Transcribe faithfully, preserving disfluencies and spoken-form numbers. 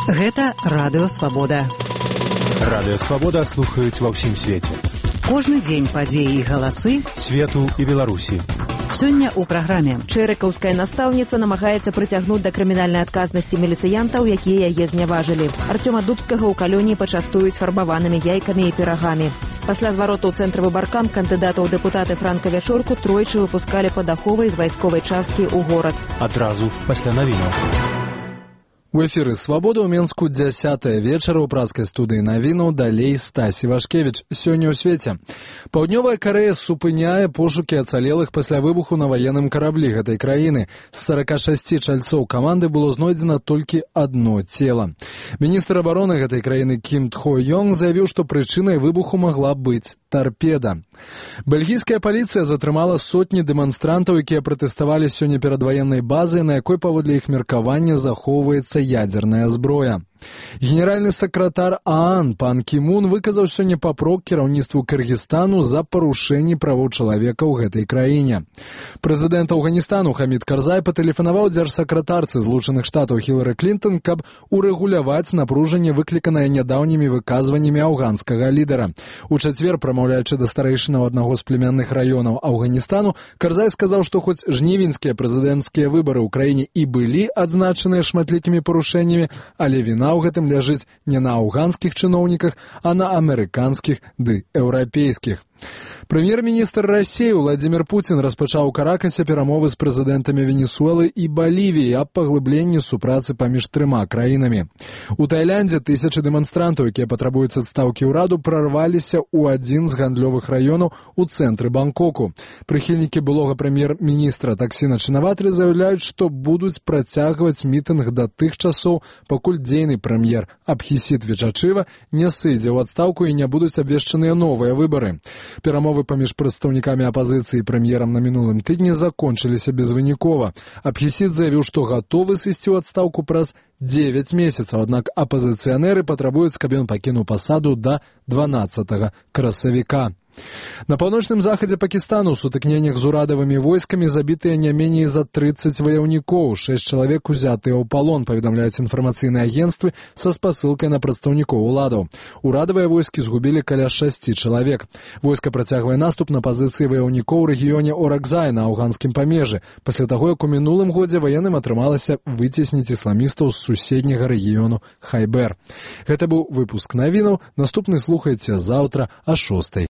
Гэта Радыё Свабода. Радыё Свабода слухаюць ва ўсім свеце. Кожны дзень падзеі і галасы свету і Беларусі. Сёння ў праграме. Чэрыкаўская настаўніца намагаецца прыцягнуць да крымінальнай адказнасці міліцыянтаў, якія яе зняважылі. Артёма Дубскага ў калоніі пачастуюць фарбаванымі яйкамі і пірагамі. Пасля звароту ў цэнтры выбаркам кандыдатаў у дэпутаты Франка Вячорку тройчы выпускалі па даховай з вайсковай часткі ў горад. Адразу пасля навінаў. У эфіры «Свабода» ў Менску дзясятая вечара ў праскай студыі навінаў, далей Стасі Вашкевіч. Сёння ў свеце. Паўднёвая Карэя супыняе пошукі ацалелых пасля выбуху на ваенным караблі гэтай краіны. З сарака шасці чальцоў каманды было знойдзена толькі адно цела. Міністр абароны гэтай краіны Кім Тхо Йонг заявіў, што прычынай выбуху магла быць тарпеда. Бельгійская паліцыя затрымала сотні дэманстрантаў, якія пратэставалі сёння перад ваеннай базай, на якой паводле іх меркавання захоўваецца ядерная зброя. Генеральны сакратар ААН пан Кімун выказаў сёння папрок кіраўніцтву Кыргызстану за парушэнні правоў чалавека ў гэтай краіне. Прэзідэнт Афганістану Хамід Карзай патэлефанаваў дзяржсакратарцы Злучаных Штатаў Хілары Клінтон, каб урэгуляваць напружанне, выкліканае нядаўнімі выказваннямі афганскага лідара. У чацвер, прамаўляючы да старэйшынаў аднаго з племянных раёнаў Афганістану, Карзай сказаў, што хоць жнівеньскія прэзідэнцкія выбары ў краіне і былі адзначаныя шматлікімі парушэннямі, але віна ў гэтым ляжыць не на афганскіх чыноўніках, а на амерыканскіх ды еўрапейскіх. Прэм'ер-міністр Расіі Владзімір Пуцін распачаў у Каракасе перамовы з прэзідэнтамі Венесуэлы і Балівіі аб паглыбленні супрацы паміж трыма краінамі. У Тайландзе тысячы дэманстрантаў, якія патрабуюць адстаўкі ўраду, прарваліся ў адзін з гандлёвых раёнаў у цэнтры Бангкоку. Прыхільнікі былога прэм'ер-міністра Таксіна Чынаватры заяўляюць, што будуць працягваць мітынг да тых часоў, пакуль дзейны прэм'ер Абхісіт Вічачыва не сыдзе ў адстаўку і не будуць абвешчаныя новыя выбары. Перамовы паміж прадстаўнікамі апазіцыі і прэм'ерам на мінулым тыдні закончыліся безвынікова. Абхісіт заявіў, што гатовы сысці ў адстаўку праз дзевяць месяцаў, аднак апазіцыянеры патрабуюць, каб ён пакінуў пасаду да дванаццатага красавіка. На паўночным захадзе Пакістану ў сутыкненнях з урадавымі войскамі забітыя не меней за трыццаць ваяўнікоў. Шэсць чалавек узятыя ў палон, паведамляюць інфармацыйныя агенцтвы са спасылкай на прадстаўнікоў уладаў. Урадавыя войскі згубілі каля шасці чалавек. Войска працягвае наступ на пазіцыі ваяўнікоў у рэгіёне Оракзай на афганскім памежы, пасля таго, як у мінулым годзе ваенным атрымалася выцесніць ісламістаў з суседняга рэгіёну Хайбер. Гэта быў выпуск навінаў. Наступны слухайце заўтра а шостай.